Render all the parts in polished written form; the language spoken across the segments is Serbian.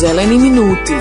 Zeleni minuti.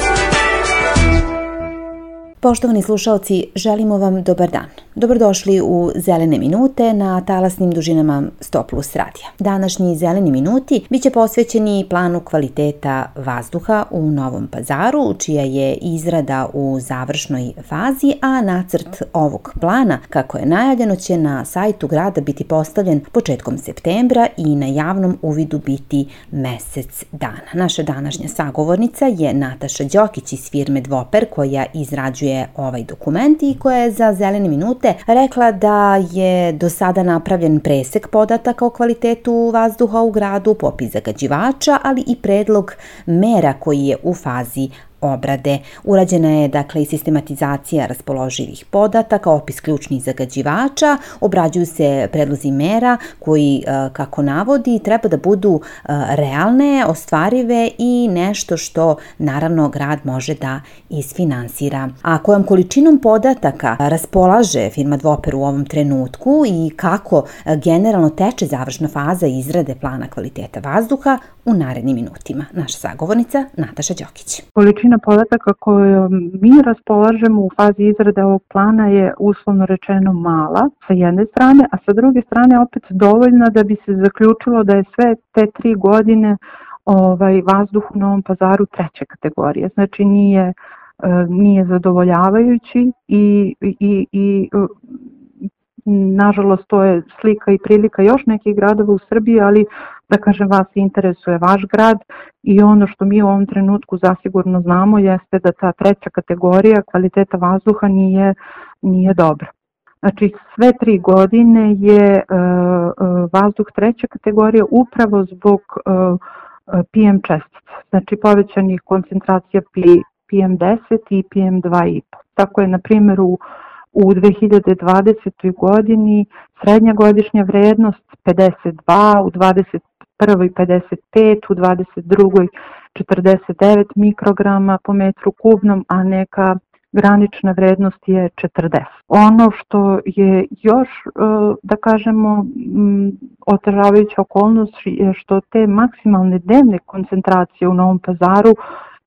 Poštovani slušaoci, želimo vam dobar dan. Dobrodošli u Zelene minute na talasnim dužinama 100+ radija. Današnji Zeleni minuti biće posvećeni planu kvaliteta vazduha u Novom Pazaru, čija je izrada u završnoj fazi, a nacrt ovog plana, kako je najavljeno, će na sajtu grada biti postavljen početkom septembra i na javnom uvidu biti mesec dana. Naša današnja sagovornica je Nataša Đokić iz firme Dvoper, koja izrađuje ovaj dokument i koja je za Zelene minute rekla da je do sada napravljen presek podataka o kvalitetu vazduha u gradu, popis zagađivača, ali i predlog mera koji je u fazi obrade. Urađena je i sistematizacija raspoloživih podataka, opis ključnih zagađivača, obrađuju se predlozi mera koji, kako navodi, treba da budu realne, ostvarive i nešto što naravno grad može da isfinansira. A kojom količinom podataka raspolaže firma Dvoper u ovom trenutku i kako generalno teče završna faza izrade plana kvaliteta vazduha, u narednim minutima. Naša sagovornica Nataša Đokić. Količina podataka koju mi raspolažemo u fazi izrade ovog plana je uslovno rečeno mala sa jedne strane, a sa druge strane opet dovoljna da bi se zaključilo da je sve te 3 godine vazduh u Novom Pazaru 3. kategorije. Znači nije zadovoljavajući i nažalost to je slika i prilika još nekih gradova u Srbiji, ali da kažem, vas interesuje vaš grad i ono što mi u ovom trenutku zasigurno znamo jeste da ta 3. kategorija kvaliteta vazduha nije dobra. Znači sve 3 godine je vazduh 3. kategorije upravo zbog PM čestica, znači povećanih koncentracija PM10 i PM2,5. Tako je na primjer u 2020. godini srednja godišnja vrednost 52, u 2021. 55, u 2022. 49 mikrograma po metru kubnom, a neka granična vrednost je 40. Ono što je još, da kažemo, otežavajuća okolnost je što te maksimalne dnevne koncentracije u Novom Pazaru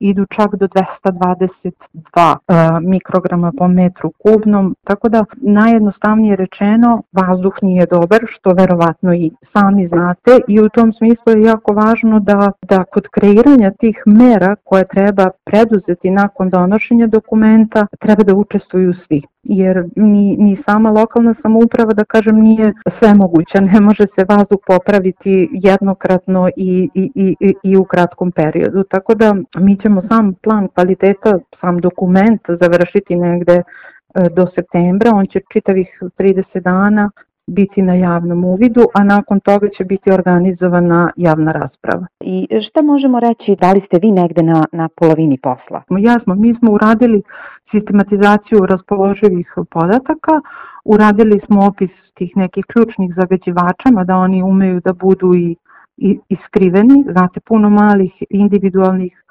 idu čak do 222 mikrograma po metru kubnom, tako da najjednostavnije rečeno vazduh nije dobar, što verovatno i sami znate, i u tom smislu je jako važno da kod kreiranja tih mera koje treba preduzeti nakon donošenja dokumenta treba da učestvuju svi. Jer ni sama lokalna samouprava, da kažem, nije svemoguća, ne može se vazduh popraviti jednokratno i u kratkom periodu. Tako da mi ćemo sam plan kvaliteta, sam dokument završiti negde do septembra, on će čitavih 30 dana biti na javnom uvidu, a nakon toga će biti organizovana javna rasprava. I šta možemo reći, da li ste vi negde na polovini posla? Jasno, mi smo uradili sistematizaciju raspoloživih podataka, uradili smo opis tih nekih ključnih zagađivača, mada oni umeju da budu i skriveni, znate, puno malih individualnih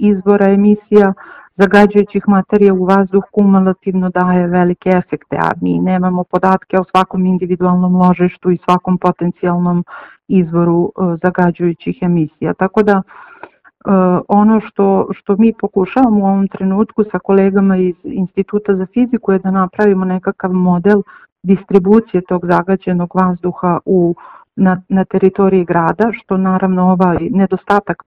izvora emisija zagađujućih materija u vazduh kumulativno daje velike efekte, a mi nemamo podatke o svakom individualnom ložištu i svakom potencijalnom izvoru zagađujućih emisija. Tako da ono što mi pokušavamo u ovom trenutku sa kolegama iz Instituta za fiziku je da napravimo nekakav model distribucije tog zagađenog vazduha na teritoriji grada, što naravno ovaj nedostatak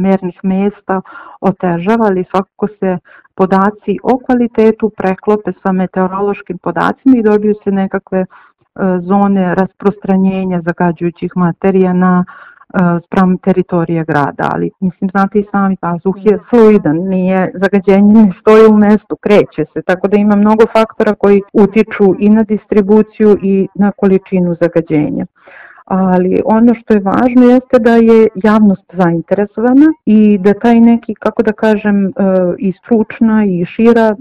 mernih mesta otežava, ali svakako se podaci o kvalitetu preklope sa meteorološkim podacima i dobiju se nekakve zone rasprostranjenja zagađujućih materija spram teritorije grada, ali mislim, znate i sami, vazduh je fluidan, zagađenje ne stoji u mestu, kreće se, tako da ima mnogo faktora koji utiču i na distribuciju i na količinu zagađenja. Ali ono što je važno jeste da je javnost zainteresovana i da taj neki, kako da kažem, i stručna i šira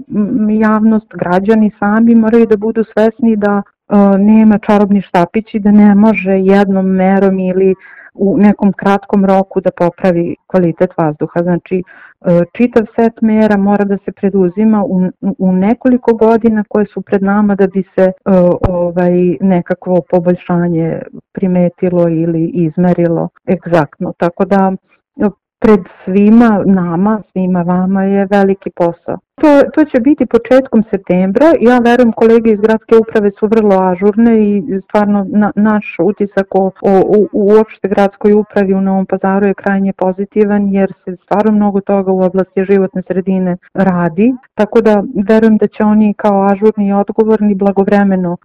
javnost, građani sami moraju da budu svesni da nema čarobni štapić i da ne može jednom merom ili u nekom kratkom roku da popravi kvalitet vazduha. Znači, čitav set mera mora da se preduzima u nekoliko godina koje su pred nama da bi se nekakvo poboljšanje primetilo ili izmerilo egzaktno. Tako da pred svima vama je veliki posao. To će biti početkom septembra. Ja verujem kolege iz gradske uprave su vrlo ažurne i stvarno naš utisak o uopšte gradskoj upravi u Novom Pazaru je krajnje pozitivan jer se stvarno mnogo toga u oblasti životne sredine radi. Tako da verujem da će oni kao ažurni i odgovorni blagovremeno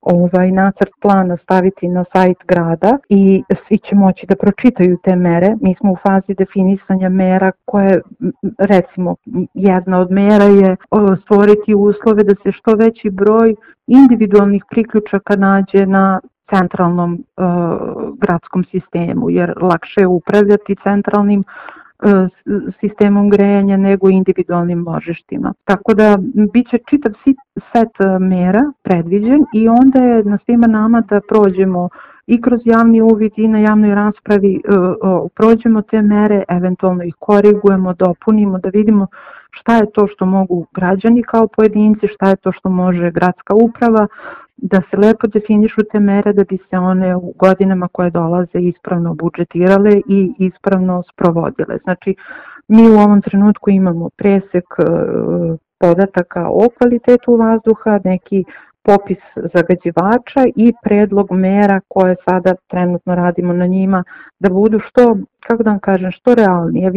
nacrt plana staviti na sajt grada i svi će moći da pročitaju te mere. Mi smo u fazi definisanja mera koje, recimo, jedna od mera je stvoriti uslove da se što veći broj individualnih priključaka nađe na centralnom gradskom sistemu, jer lakše je upravljati centralnim sistemom grejanja nego individualnim ložištima. Tako da biće čitav set mera predviđen i onda je na svima nama da prođemo i kroz javni uvid i na javnoj raspravi prođemo te mere, eventualno ih korigujemo, dopunimo, da vidimo šta je to što mogu građani kao pojedinci, šta je to što može gradska uprava, da se lepo definišu te mere da bi se one u godinama koje dolaze ispravno budžetirale i ispravno sprovodile. Znači, mi u ovom trenutku imamo presek podataka o kvalitetu vazduha, neki popis zagađivača i predlog mera koje sada trenutno radimo na njima da budu što realnije.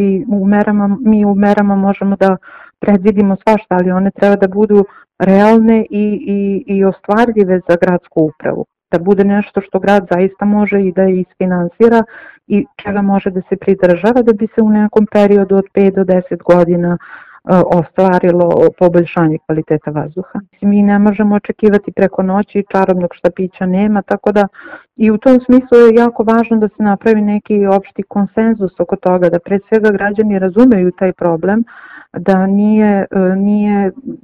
Mi u merama možemo da predvidimo svašta, ali one treba da budu realne i ostvarljive za gradsku upravu. Da bude nešto što grad zaista može i da isfinansira i čega može da se pridržava da bi se u nekom periodu od 5 do 10 godina ostvarilo poboljšanje kvaliteta vazduha. Mi ne možemo očekivati preko noći, čarobnog štapića nema, tako da i u tom smislu je jako važno da se napravi neki opšti konsenzus oko toga, da pre svega građani razumeju taj problem, da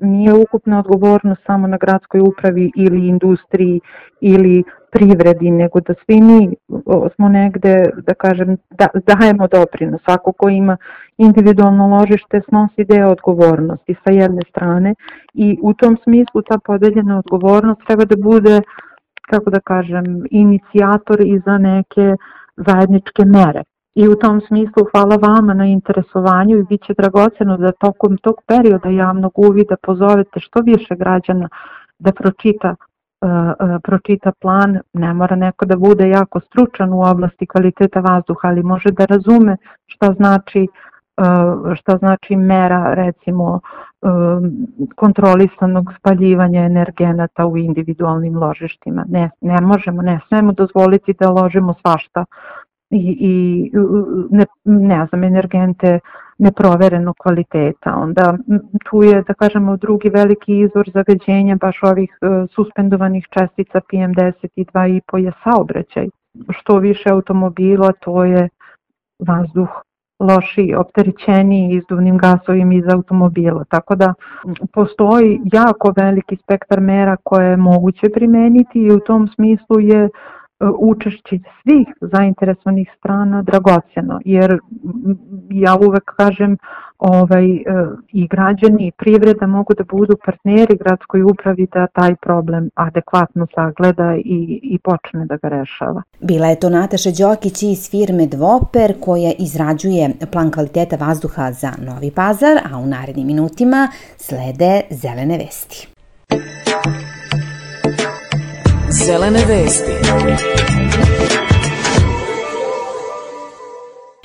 nije ukupna odgovornost samo na gradskoj upravi ili industriji ili privredi, nego da svi mi smo negde, da kažem, dajemo doprinos. Svako ko ima individualno ložište snosi deo odgovornosti sa jedne strane i u tom smislu ta podeljena odgovornost treba da bude, kako da kažem, inicijator i za neke zajedničke mere. I u tom smislu hvala vama na interesovanju i bit će dragoceno da tokom tog perioda javnog uvida pozovete što više građana da pročita plan. Ne mora neko da bude jako stručan u oblasti kvaliteta vazduha, ali može da razume šta znači mera, recimo, kontrolisanog spaljivanja energenata u individualnim ložištima. Ne smemo dozvoliti da ložimo svašta i energente neproverenog kvaliteta. Onda tu je, da kažemo, drugi veliki izvor zagađenja baš ovih suspendovanih čestica PM10 i 2,5 je saobraćaj. Što više automobila, to je vazduh lošiji, opterećeniji izduvnim gasovima iz automobila. Tako da postoji jako veliki spektar mera koje je moguće primeniti i u tom smislu je učešće svih zainteresovanih strana dragocjeno, jer ja uvek kažem i građani i privreda mogu da budu partneri gradskoj upravi da taj problem adekvatno sagleda i počne da ga rešava. Bila je to Nataša Đokić iz firme Dvoper koja izrađuje plan kvaliteta vazduha za Novi Pazar, a u narednim minutima slede zelene vesti. Zelene vesti.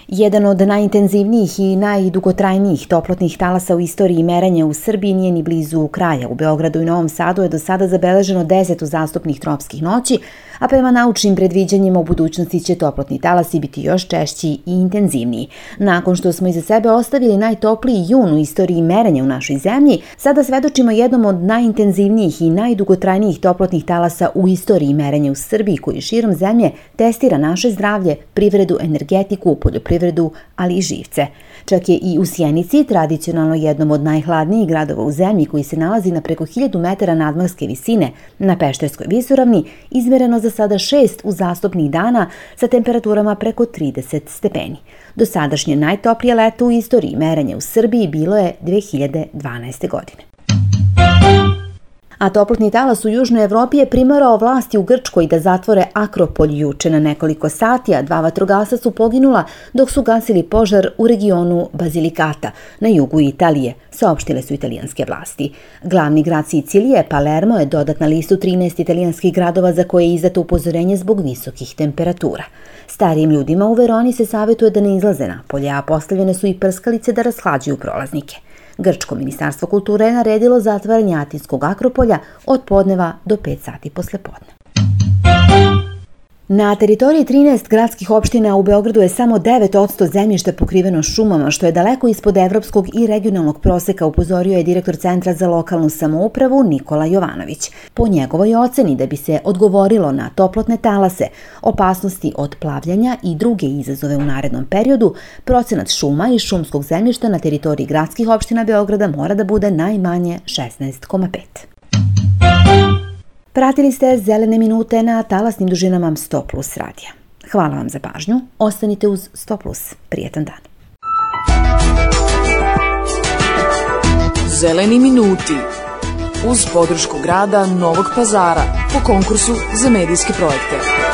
Jedan od najintenzivnijih i najdugotrajnijih toplotnih talasa u istoriji merenja u Srbiji nije ni blizu kraja. U Beogradu i Novom Sadu je do sada zabeleženo 10 uzastopnih tropskih noći, a prema naučnim predviđanjima u budućnosti će toplotni talasi biti još češći i intenzivniji. Nakon što smo iza sebe ostavili najtopliji jun u istoriji merenja u našoj zemlji, sada svedočimo jednom od najintenzivnijih i najdugotrajnijih toplotnih talasa u istoriji merenja u Srbiji, koji širom zemlje testira naše zdravlje, privredu, energetiku, poljoprivredu, ali i živce. Čak je i u Sjenici, tradicionalno jednom od najhladnijih gradova u zemlji, koji se nalazi na preko 1000 metara nadmorske visine na Pešterskoj visoravni, izmereno za sada 6 uzastopnih dana sa temperaturama preko 30 stepeni. Dosadašnje najtoplije leto u istoriji merenja u Srbiji bilo je 2012. godine. A toplotni talas u Južnoj Evropi je primarao vlasti u Grčkoj da zatvore Akropolj juče na nekoliko sati, a 2 vatrogasca su poginula dok su gasili požar u regionu Bazilikata na jugu Italije, saopštile su italijanske vlasti. Glavni grad Sicilije, Palermo, je dodat na listu 13 italijanskih gradova za koje je izdato upozorenje zbog visokih temperatura. Starijim ljudima u Veroni se savjetuje da ne izlaze napolje, a postavljene su i prskalice da rashlađuju prolaznike. Grčko ministarstvo kulture je naredilo zatvaranje Atinskog Akropolja od podneva do 5 sati posle podne. Na teritoriji 13 gradskih opština u Beogradu je samo 9% zemljišta pokriveno šumama, što je daleko ispod evropskog i regionalnog proseka, upozorio je direktor Centra za lokalnu samoupravu Nikola Jovanović. Po njegovoj oceni, da bi se odgovorilo na toplotne talase, opasnosti od plavljanja i druge izazove u narednom periodu, procenat šuma i šumskog zemljišta na teritoriji gradskih opština Beograda mora da bude najmanje 16,5. Pratili ste Zelene minute na talasnim dužinama 100+ radija. Hvala vam za pažnju. Ostanite uz 100+. Prijetan dan. Zeleni minuti. Uz podršku grada Novog Pazara po konkursu za medijske projekte.